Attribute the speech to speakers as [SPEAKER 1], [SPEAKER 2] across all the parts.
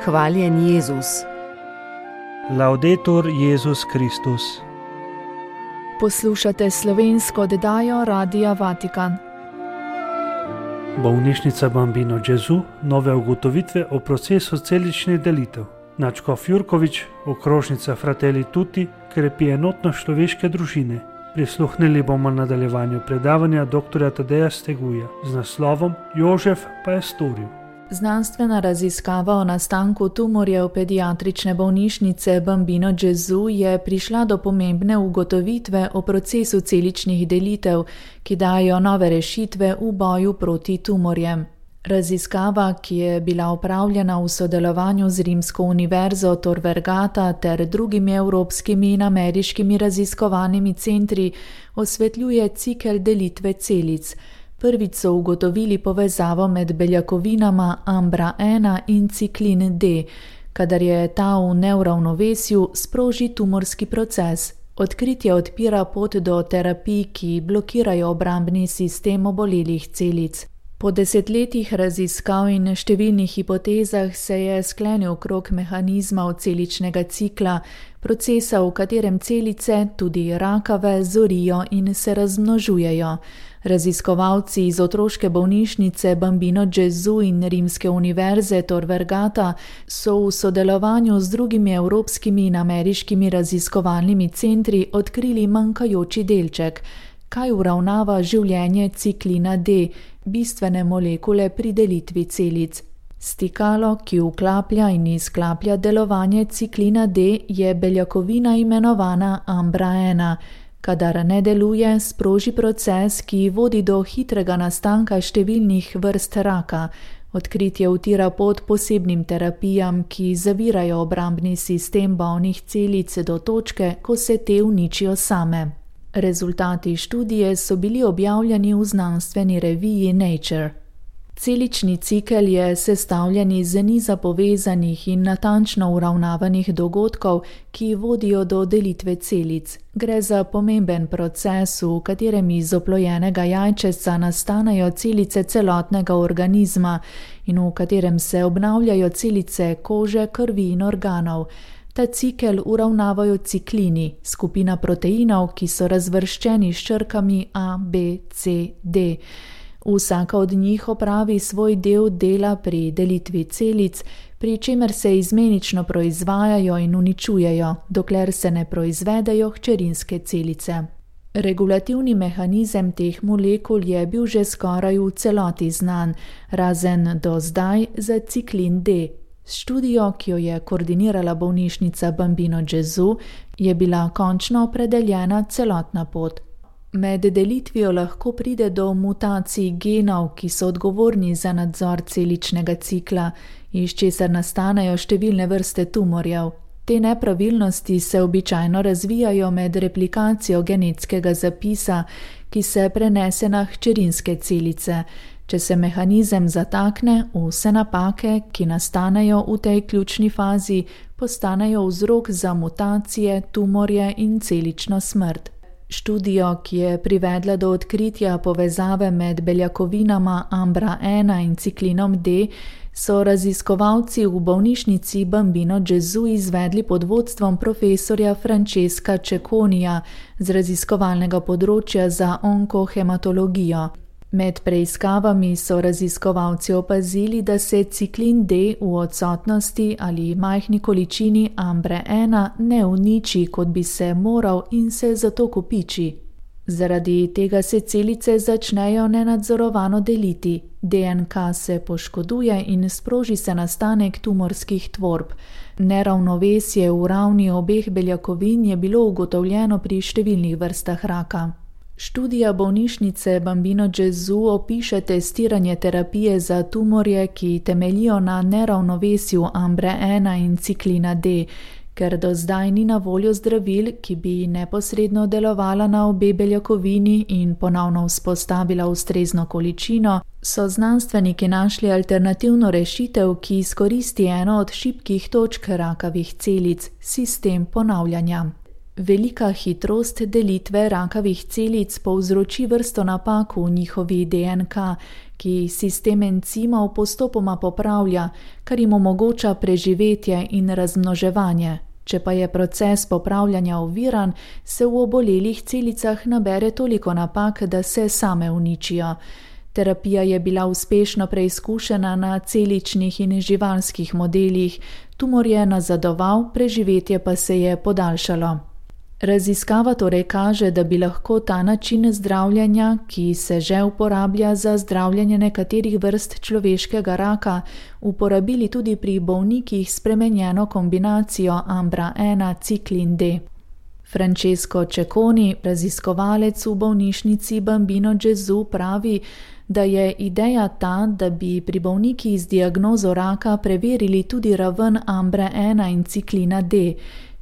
[SPEAKER 1] Hvaljen Jezus.
[SPEAKER 2] Laudetur Jezus Kristus.
[SPEAKER 3] Poslušate slovensko oddajo Radia Vatikan.
[SPEAKER 2] Bolnišnica Bambino Gesù, nove ugotovitve o procesu celičnih delitev. Nadškof Jurkovič, okrožnica Fratelli Tutti, krepi enotnost človeške družine. Prisluhnili bomo nadaljevanju predavanja dr. Tadeja Steguja z naslovom Jožef pa je storil.
[SPEAKER 3] Znanstvena raziskava o nastanku tumorjev pediatrične bolnišnice Bambino Gesù je prišla do pomembne ugotovitve o procesu celičnih delitev, ki dajo nove rešitve v boju proti tumorjem. Raziskava, ki je bila opravljena v sodelovanju z Rimsko univerzo Tor Vergata ter drugimi evropskimi in ameriškimi raziskovalnimi centri, osvetljuje cikel delitve celic. Prvič so ugotovili povezavo med beljakovinama Ambra-1 in ciklin D. Kadar je ta v neuravnovesju, sproži tumorski proces. Odkritje odpira pot do terapij, ki blokirajo obrambni sistem obolelih celic. Po desetletjih raziskav in številnih hipotezah se je sklenil krog mehanizmov celičnega cikla, procesa, v katerem celice, tudi rakave, zorijo in se razmnožujejo. Raziskovalci iz otroške bolnišnice Bambino Gesù in Rimske univerze Tor Vergata so v sodelovanju z drugimi evropskimi in ameriškimi raziskovalnimi centri odkrili manjkajoči delček, kaj uravnava življenje ciklina D, bistvene molekule pri delitvi celic. Stikalo, ki vklaplja in izklaplja delovanje ciklina D, je beljakovina imenovana Ambra-1. Kadar ne deluje, sproži proces, ki vodi do hitrega nastanka številnih vrst raka. Odkritje utira pot posebnim terapijam, ki zavirajo obrambni sistem bolnih celic do točke, ko se te uničijo same. Rezultati študije so bili objavljeni v znanstveni reviji Nature. Celični cikel je sestavljen iz niza povezanih in natančno uravnavanih dogodkov, ki vodijo do delitve celic. Gre za pomemben proces, v katerem iz oplojenega jajčeca nastanejo celice celotnega organizma in v katerem se obnavljajo celice kože, krvi in organov. Ta cikel uravnavajo ciklini, skupina proteinov, ki so razvrščeni s črkami A, B, C, D. Vsaka od njih opravi svoj del dela pri delitvi celic, pri čemer se izmenično proizvajajo in uničujejo, dokler se ne proizvedejo hčerinske celice. Regulativni mehanizem teh molekul je bil že skoraj v celoti znan, razen do zdaj za ciklin D. S študijo, ki jo je koordinirala bolnišnica Bambino Gesù, je bila končno opredeljena celotna pot. Med delitvijo lahko pride do mutacij genov, ki so odgovorni za nadzor celičnega cikla, iz česar nastanejo številne vrste tumorjev. Te nepravilnosti se običajno razvijajo med replikacijo genetskega zapisa, ki se prenese na hčerinske celice. Če se mehanizem zatakne, vse napake, ki nastanejo v tej ključni fazi, postanejo vzrok za mutacije, tumorje in celično smrt. Študijo, ki je privedla do odkritja povezave med beljakovinama Ambra-1 in ciklinom D, so raziskovalci v bolnišnici Bambino Gesù izvedli pod vodstvom profesorja Francesca Cecconija z raziskovalnega področja za onkohematologijo. Med preiskavami so raziskovalci opazili, da se ciklin D v odsotnosti ali majhni količini Ambre-1 ne uniči, kot bi se moral, in se zato kopiči. Zaradi tega se celice začnejo nenadzorovano deliti, DNK se poškoduje in sproži se nastanek tumorskih tvorb. Neravnovesje v ravni obeh beljakovin je bilo ugotovljeno pri številnih vrstah raka. Študija bolnišnice Bambino Gesù opiše testiranje terapije za tumorje, ki temeljijo na neravnovesju Ambre-1 in ciklina D. Ker do zdaj ni na voljo zdravil, ki bi neposredno delovala na obe beljakovini in ponovno vzpostavila ustrezno količino, so znanstveniki našli alternativno rešitev, ki izkoristi eno od šibkih točk rakavih celic, sistem ponavljanja. Velika hitrost delitve rakavih celic povzroči vrsto napak v njihovi DNK, ki sistem encimov postopoma popravlja, kar jim omogoča preživetje in razmnoževanje. Če pa je proces popravljanja oviran, se v obolelih celicah nabere toliko napak, da se same uničijo. Terapija je bila uspešno preizkušena na celičnih in živalskih modelih, tumor je nazadoval, preživetje pa se je podaljšalo. Raziskava torej kaže, da bi lahko ta način zdravljenja, ki se že uporablja za zdravljenje nekaterih vrst človeškega raka, uporabili tudi pri bolnikih s spremenjeno kombinacijo Ambra-1 ciklin D. Francesco Cecconi, raziskovalec v bolnišnici Bambino Gesù, pravi, da je ideja ta, da bi pri bolnikih z diagnozo raka preverili tudi raven Ambra-1 in ciklina D.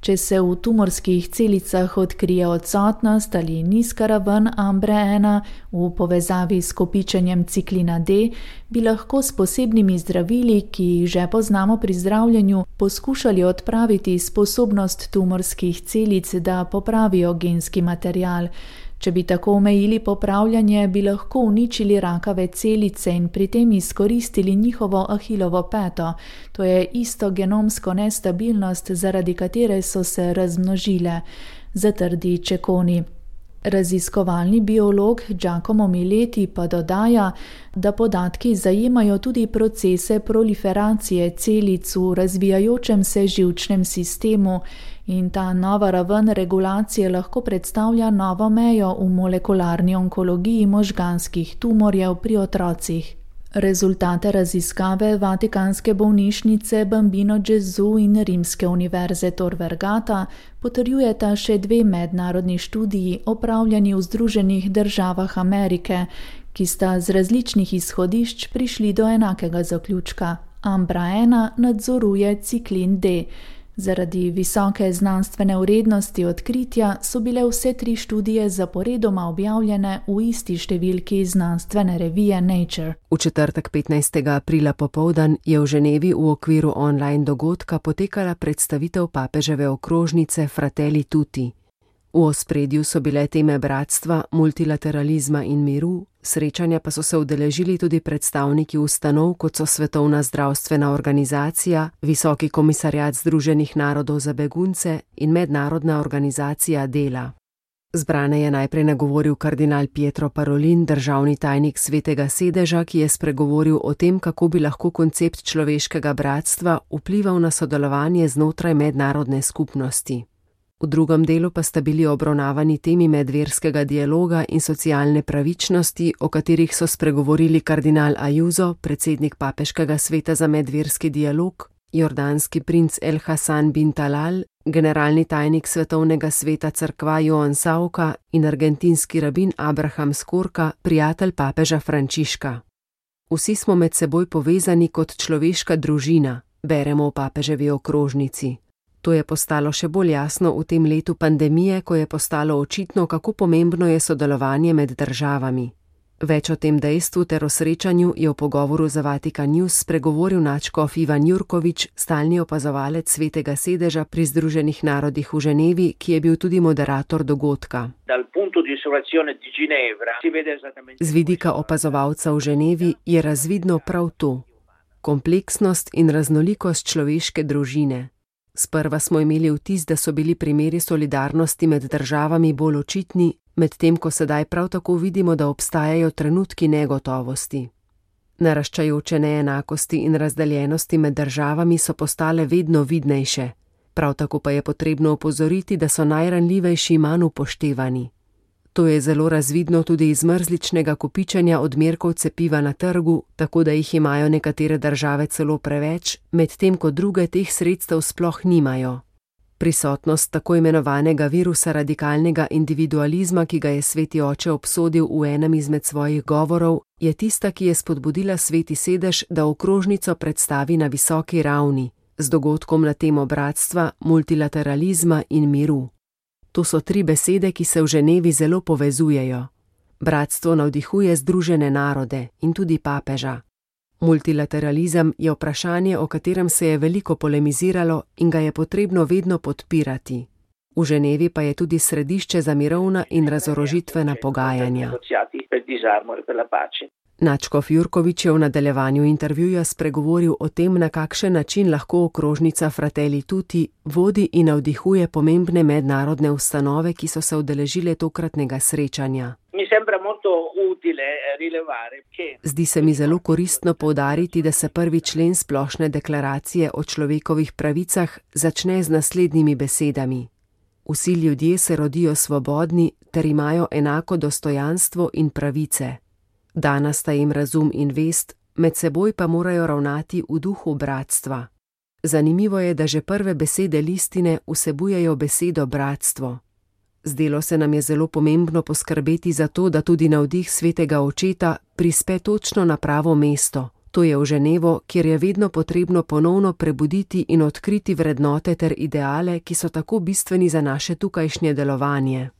[SPEAKER 3] Če se v tumorskih celicah odkrije odsotnost ali nizka raven Ambra-1 v povezavi s kopičenjem ciklina D, bi lahko s posebnimi zdravili, ki jih že poznamo pri zdravljenju, poskušali odpraviti sposobnost tumorskih celic, da popravijo genski material. Če bi tako omejili popravljanje, bi lahko uničili rakave celice in pri tem izkoristili njihovo ahilovo peto, to je isto genomsko nestabilnost, zaradi katere so se razmnožile, zatrdi Cecconi. Raziskovalni biolog Giacomo Mileti pa dodaja, da podatki zajemajo tudi procese proliferacije celic v razvijajočem se živčnem sistemu in ta nova raven regulacije lahko predstavlja novo mejo v molekularni onkologiji možganskih tumorjev pri otrocih. Rezultate raziskave Vatikanske bolnišnice Bambino Gesù in Rimske univerze Tor Vergata potrjujeta še dve mednarodni študiji opravljeni v Združenih državah Amerike, ki sta z različnih izhodišč prišli do enakega zaključka. Ambra-1 nadzoruje ciklin D. Zaradi visoke znanstvene vrednosti odkritja so bile vse tri študije zaporedoma objavljene v isti številki znanstvene revije Nature.
[SPEAKER 1] V četrtek 15. aprila popoldan je v Ženevi v okviru online dogodka potekala predstavitev papeževe okrožnice Fratelli Tutti. V ospredju so bile teme bratstva, multilateralizma in miru, srečanja pa so se udeležili tudi predstavniki ustanov, kot so Svetovna zdravstvena organizacija, Visoki komisarjat Združenih narodov za begunce in Mednarodna organizacija dela. Zbrane je najprej nagovoril kardinal Pietro Parolin, državni tajnik Svetega sedeža, ki je spregovoril o tem, kako bi lahko koncept človeškega bratstva vplival na sodelovanje znotraj mednarodne skupnosti. V drugem delu pa sta bili obravnavani temi medverskega dialoga in socialne pravičnosti, o katerih so spregovorili kardinal Ayuso, predsednik Papeškega sveta za medverski dialog, jordanski princ El Hassan bin Talal, generalni tajnik Svetovnega sveta cerkva Joan Sauka in argentinski rabin Abraham Skorka, prijatelj papeža Frančiška. Vsi smo med seboj povezani kot človeška družina, beremo v papeževi okrožnici. To je postalo še bolj jasno v tem letu pandemije, ko je postalo očitno, kako pomembno je sodelovanje med državami. Več o tem dejstvu ter o srečanju je v pogovoru za Vatikan News spregovoril nadškof Ivan Jurkovič, stalni opazovalec Svetega sedeža pri Združenih narodih v Ženevi, ki je bil tudi moderator dogodka. Z vidika opazovalca v Ženevi je razvidno prav to: kompleksnost in raznolikost človeške družine. Sprva smo imeli vtis, da so bili primeri solidarnosti med državami bolj očitni, medtem ko sedaj prav tako vidimo, da obstajajo trenutki negotovosti. Naraščajoče neenakosti in razdeljenosti med državami so postale vedno vidnejše. Prav tako pa je potrebno opozoriti, da so najranljivejši manj upoštevani. To je zelo razvidno tudi iz mrzličnega kopičenja odmerkov cepiva na trgu, tako da jih imajo nekatere države celo preveč, medtem ko druge teh sredstev sploh nimajo. Prisotnost tako imenovanega virusa radikalnega individualizma, ki ga je Sveti oče obsodil v enem izmed svojih govorov, je tista, ki je spodbudila Sveti sedež, da okrožnico predstavi na visoki ravni, z dogodkom na temo bratstva, multilateralizma in miru. To so tri besede, ki se v Ženevi zelo povezujejo. Bratstvo navdihuje Združene narode in tudi papeža. Multilateralizem je vprašanje, o katerem se je veliko polemiziralo in ga je potrebno vedno podpirati. V Ženevi pa je tudi središče za mirovna in razorožitvena pogajanja. Nadškof Jurkovič je v nadaljevanju intervjuja spregovoril o tem, na kakšen način lahko okrožnica Fratelli Tutti vodi in navdihuje pomembne mednarodne ustanove, ki so se udeležile tokratnega srečanja. Zdi se mi zelo koristno poudariti, da se 1. člen Splošne deklaracije o človekovih pravicah začne z naslednjimi besedami. Vsi ljudje se rodijo svobodni ter imajo enako dostojanstvo in pravice. Dana sta jim razum in vest, med seboj pa morajo ravnati v duhu bratstva. Zanimivo je, da že prve besede listine vsebujejo besedo bratstvo. Zdelo se nam je zelo pomembno poskrbeti za to, da tudi navdih svetega očeta prispe točno na pravo mesto, to je v Ženevo, kjer je vedno potrebno ponovno prebuditi in odkriti vrednote ter ideale, ki so tako bistveni za naše tukajšnje delovanje.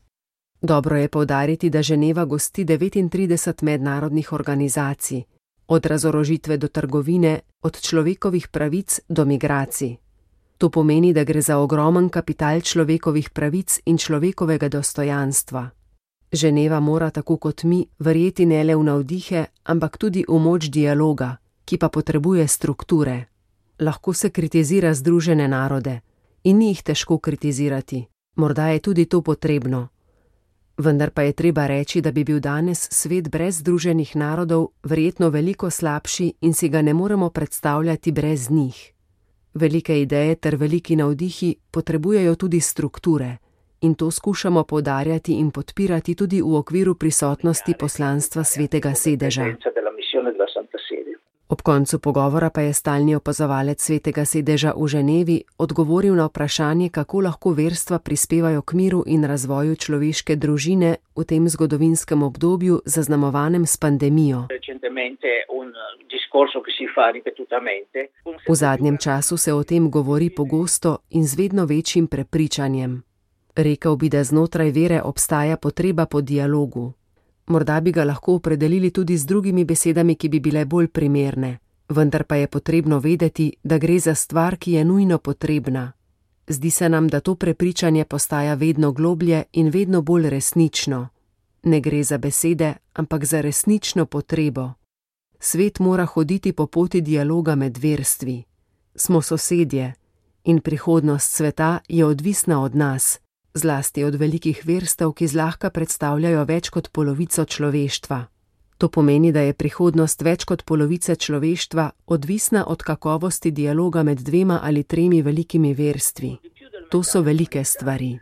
[SPEAKER 1] Dobro je poudariti, da Ženeva gosti 39 mednarodnih organizacij, od razorožitve do trgovine, od človekovih pravic do migracij. To pomeni, da gre za ogromen kapital človekovih pravic in človekovega dostojanstva. Ženeva mora, tako kot mi, verjeti ne le v navdihe, ampak tudi v moč dialoga, ki pa potrebuje strukture. Lahko se kritizira Združene narode in ni jih težko kritizirati, morda je tudi to potrebno. Vendar pa je treba reči, da bi bil danes svet brez Združenih narodov verjetno veliko slabši in si ga ne moremo predstavljati brez njih. Velike ideje ter veliki navdihi potrebujejo tudi strukture in to skušamo poudarjati in podpirati tudi v okviru prisotnosti poslanstva Svetega sedeža. Ob koncu pogovora pa je stalni opazovalec Svetega sedeža v Ženevi odgovoril na vprašanje, kako lahko verstva prispevajo k miru in razvoju človeške družine v tem zgodovinskem obdobju zaznamovanem s pandemijo. V zadnjem času se o tem govori pogosto in z vedno večjim prepričanjem. Rekel bi, da znotraj vere obstaja potreba po dialogu. Morda bi ga lahko opredelili tudi z drugimi besedami, ki bi bile bolj primerne, vendar pa je potrebno vedeti, da gre za stvar, ki je nujno potrebna. Zdi se nam, da to prepričanje postaja vedno globlje in vedno bolj resnično. Ne gre za besede, ampak za resnično potrebo. Svet mora hoditi po poti dialoga med verstvi. Smo sosedje in prihodnost sveta je odvisna od nas, zlasti od velikih verstev, ki zlahka predstavljajo več kot polovico človeštva. To pomeni, da je prihodnost več kot polovice človeštva odvisna od kakovosti dialoga med 2 ali 3 velikimi verstvi. To so velike stvari.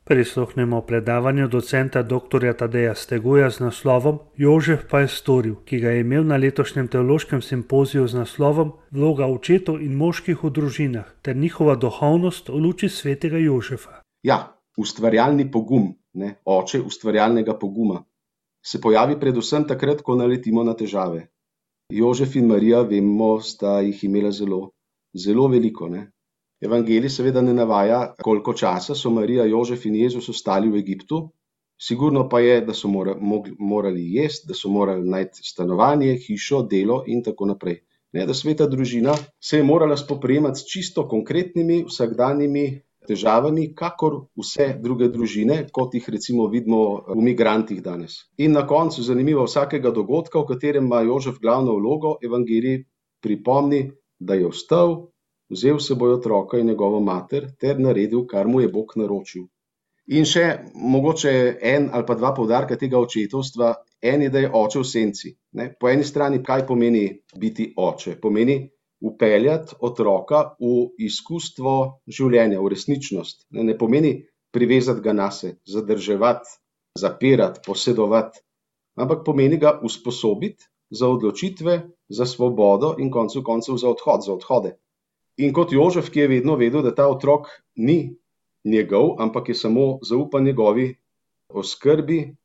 [SPEAKER 2] Prisluhnemo predavanju docenta dr. Tadeja Steguja z naslovom Jožef pa je storil, ki ga je imel na letošnjem teološkem simpoziju z naslovom Vloga očetov in moških v družinah ter njihova duhovnost v luči svetega Jožefa.
[SPEAKER 4] Ja, ustvarjalni pogum, oče ustvarjalnega poguma, se pojavi predvsem takrat, ko naletimo na težave. Jožef in Marija, vemo, sta jih imela zelo veliko. Evangelij seveda ne navaja, koliko časa so Marija, Jožef in Jezus ostali v Egiptu. Sigurno pa je, da so morali jesti, da so morali najti stanovanje, hišo, delo in tako naprej. Da sveta družina se je morala spoprijemati s čisto konkretnimi vsakdanjimi težavami, kakor vse druge družine, kot jih recimo vidimo v migrantih danes. In na koncu, zanimivo, vsakega dogodka, v katerem ima Jožef glavno vlogo, Evangelij pripomni, da je vstal, vzel s seboj otroka in njegovo mater ter naredil, kar mu je Bog naročil. In še mogoče 1 ali pa 2 poudarka tega očetovstva. En je, da je oče v senci. Po eni strani, kaj pomeni biti oče? Pomeni vpeljati otroka v izkustvo življenja, v resničnost. Ne pomeni privezati ga nase, zadrževati, zapirati, posedovati, ampak pomeni ga usposobiti za odločitve, za svobodo in koncu koncev za odhode. In kot Jožef, ki je vedno vedel, da ta otrok ni njegov, ampak je samo zaupan njegovi oskrbi,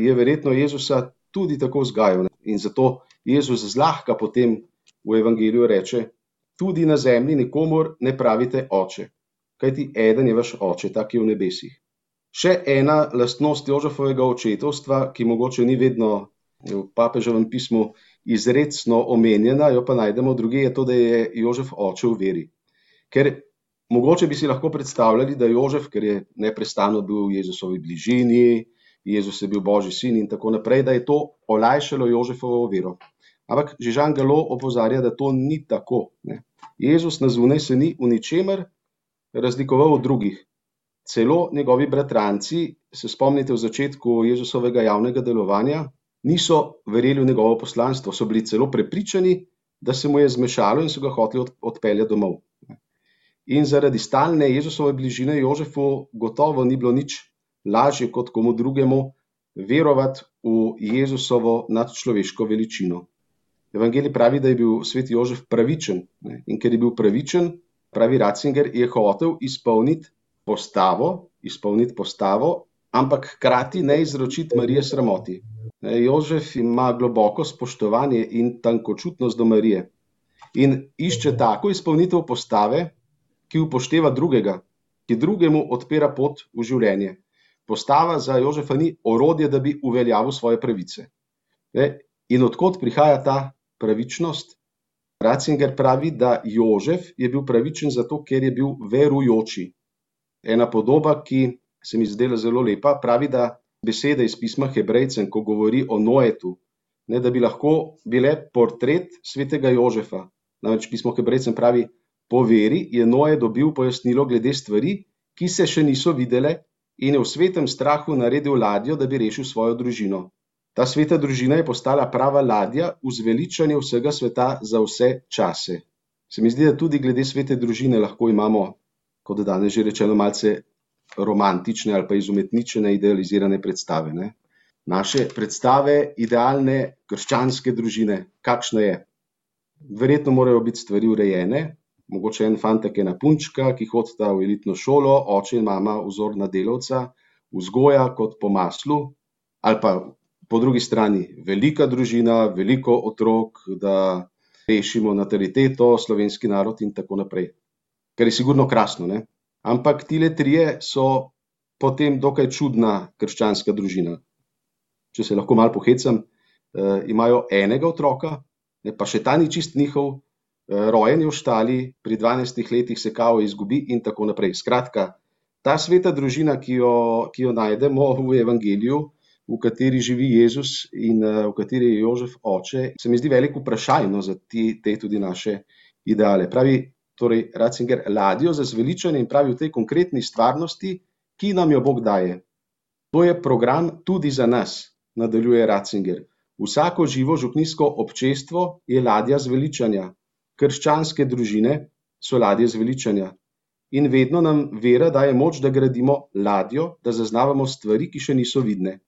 [SPEAKER 4] je verjetno Jezusa tudi tako vzgajal. In zato Jezus zlahka potem v Evangeliju reče, tudi na zemlji nikomur ne pravite oče, kajti eden je vaš oče, tak je v nebesih. Še ena lastnost Jožefovega očetovstva, ki mogoče ni vedno v papeževem pismu izrecno omenjena, jo pa najdemo drugje, je to, da je Jožef oče v veri. Ker mogoče bi si lahko predstavljali, da Jožef, ker je neprestano bil v Jezusovi bližini, Jezus je bil Božji sin in tako naprej, da je to olajšalo Jožefovo vero. Ampak že Jean Galot opozarja, da to ni tako. Ne. Jezus na zunaj se ni v ničemer razlikoval od drugih. Celo njegovi bratranci, se spomnite v začetku Jezusovega javnega delovanja, niso verjeli v njegovo poslanstvo, so bili celo prepričani, da se mu je zmešalo in so ga hoteli odpeljati domov. In zaradi stalne Jezusove bližine Jožefu gotovo ni bilo nič lažje kot komu drugemu verovati v Jezusovo nadčloveško veličino. Evangelij pravi, da je bil sveti Jožef pravičen. In ker je bil pravičen, pravi Ratzinger, je hotel izpolniti postavo, ampak hkrati ne izročiti Marije sramoti. Jožef ima globoko spoštovanje in tankočutnost do Marije in išče tako izpolnitev postave, ki upošteva drugega, ki drugemu odpira pot v življenje. Postava za Jožefa ni orodje, da bi uveljavil svoje pravice. In odkot prihaja ta pravičnost? Ratzinger pravi, da Jožef je bil pravičen zato, ker je bil verujoči. Ena podoba, ki se mi zdela zelo lepa, pravi, da besede iz pisma Hebrejcem, ko govori o Noetu, da bi lahko bile portret svetega Jožefa. Namreč pismo Hebrejcem pravi, po veri je Noe dobil pojasnilo glede stvari, ki se še niso videle, in je v svetem strahu naredil ladjo, da bi rešil svojo družino. Ta sveta družina je postala prava ladja v zveličanje vsega sveta za vse čase. Se mi zdi, da tudi glede svete družine lahko imamo, kot danes že rečeno, malce romantične ali pa izumetničene, idealizirane predstave. Ne? Naše predstave idealne krščanske družine, kakšna je? Verjetno morajo biti stvari urejene, mogoče en fantek, ena punčka, ki hodita v elitno šolo, oče in mama vzorna delavca, vzgoja kot po maslu, ali pa po drugi strani velika družina, veliko otrok, da rešimo nataliteto, slovenski narod in tako naprej. Kar je sigurno krasno, ne? Ampak tile trije so potem dokaj čudna krščanska družina. Če se lahko malo pohecam, imajo enega otroka, pa še ta ni čist njihov, rojen je v štali, pri 12 letih se kao izgubi in tako naprej. Skratka, ta sveta družina, ki jo najdemo v Evangeliju, v kateri živi Jezus in v kateri je Jožef oče, se mi zdi veliko vprašajno za te tudi naše ideale. Pravi torej Ratzinger ladjo za zveličanje in pravi v tej konkretni stvarnosti, ki nam jo Bog daje. To je program tudi za nas, nadaljuje Ratzinger. Vsako živo župnijsko občestvo je ladja zveličanja. Krščanske družine so ladje zveličanja. In vedno nam vera daje moč, da gradimo ladjo, da zaznavamo stvari, ki še niso vidne.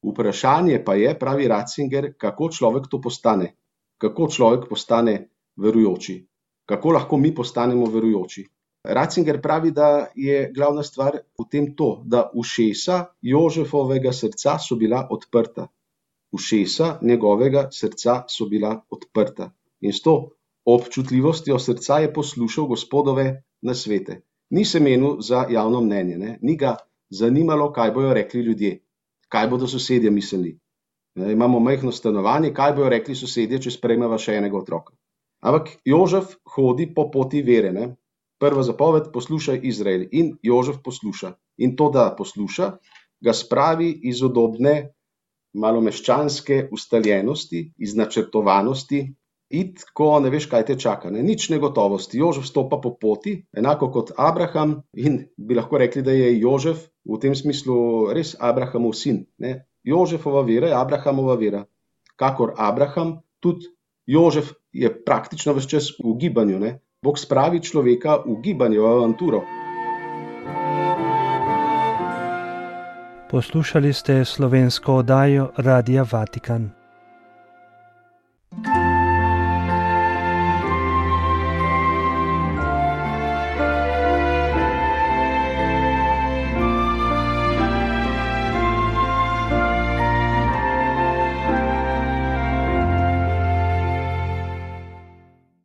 [SPEAKER 4] Vprašanje pa je, pravi Ratzinger, kako človek to postane. Kako človek postane verujoči. Kako lahko mi postanemo verujoči. Ratzinger pravi, da je glavna stvar v tem to, da ušesa Jožefovega srca so bila odprta. Ušesa njegovega srca so bila odprta. In s to občutljivostjo srca je poslušal Gospodove nasvete. Ni se menil za javno mnenje, ne? Ni ga zanimalo, kaj bojo rekli ljudje, kaj bodo sosedje mislili. Imamo majhno stanovanje, kaj bojo rekli sosedje, če sprejmeva še enega otroka. Ampak Jožef hodi po poti vere. Ne? Prva zapoved, poslušaj Izrael. In Jožef posluša. In to, da posluša, ga spravi iz udobne, malomeščanske ustaljenosti, iz načrtovanosti, ko ne veš, kaj te čaka. Ne? Nič negotovosti. Jožef stopa po poti, enako kot Abraham, in bi lahko rekli, da je Jožef v tem smislu res Abrahamov sin. Ne? Jožefova vera je Abrahamova vera. Kakor Abraham, tudi Jožef je praktično ves čas v gibanju. Ne? Bog spravi človeka v gibanje, v avanturo.
[SPEAKER 2] Poslušali ste slovensko oddajo Radia Vatikan.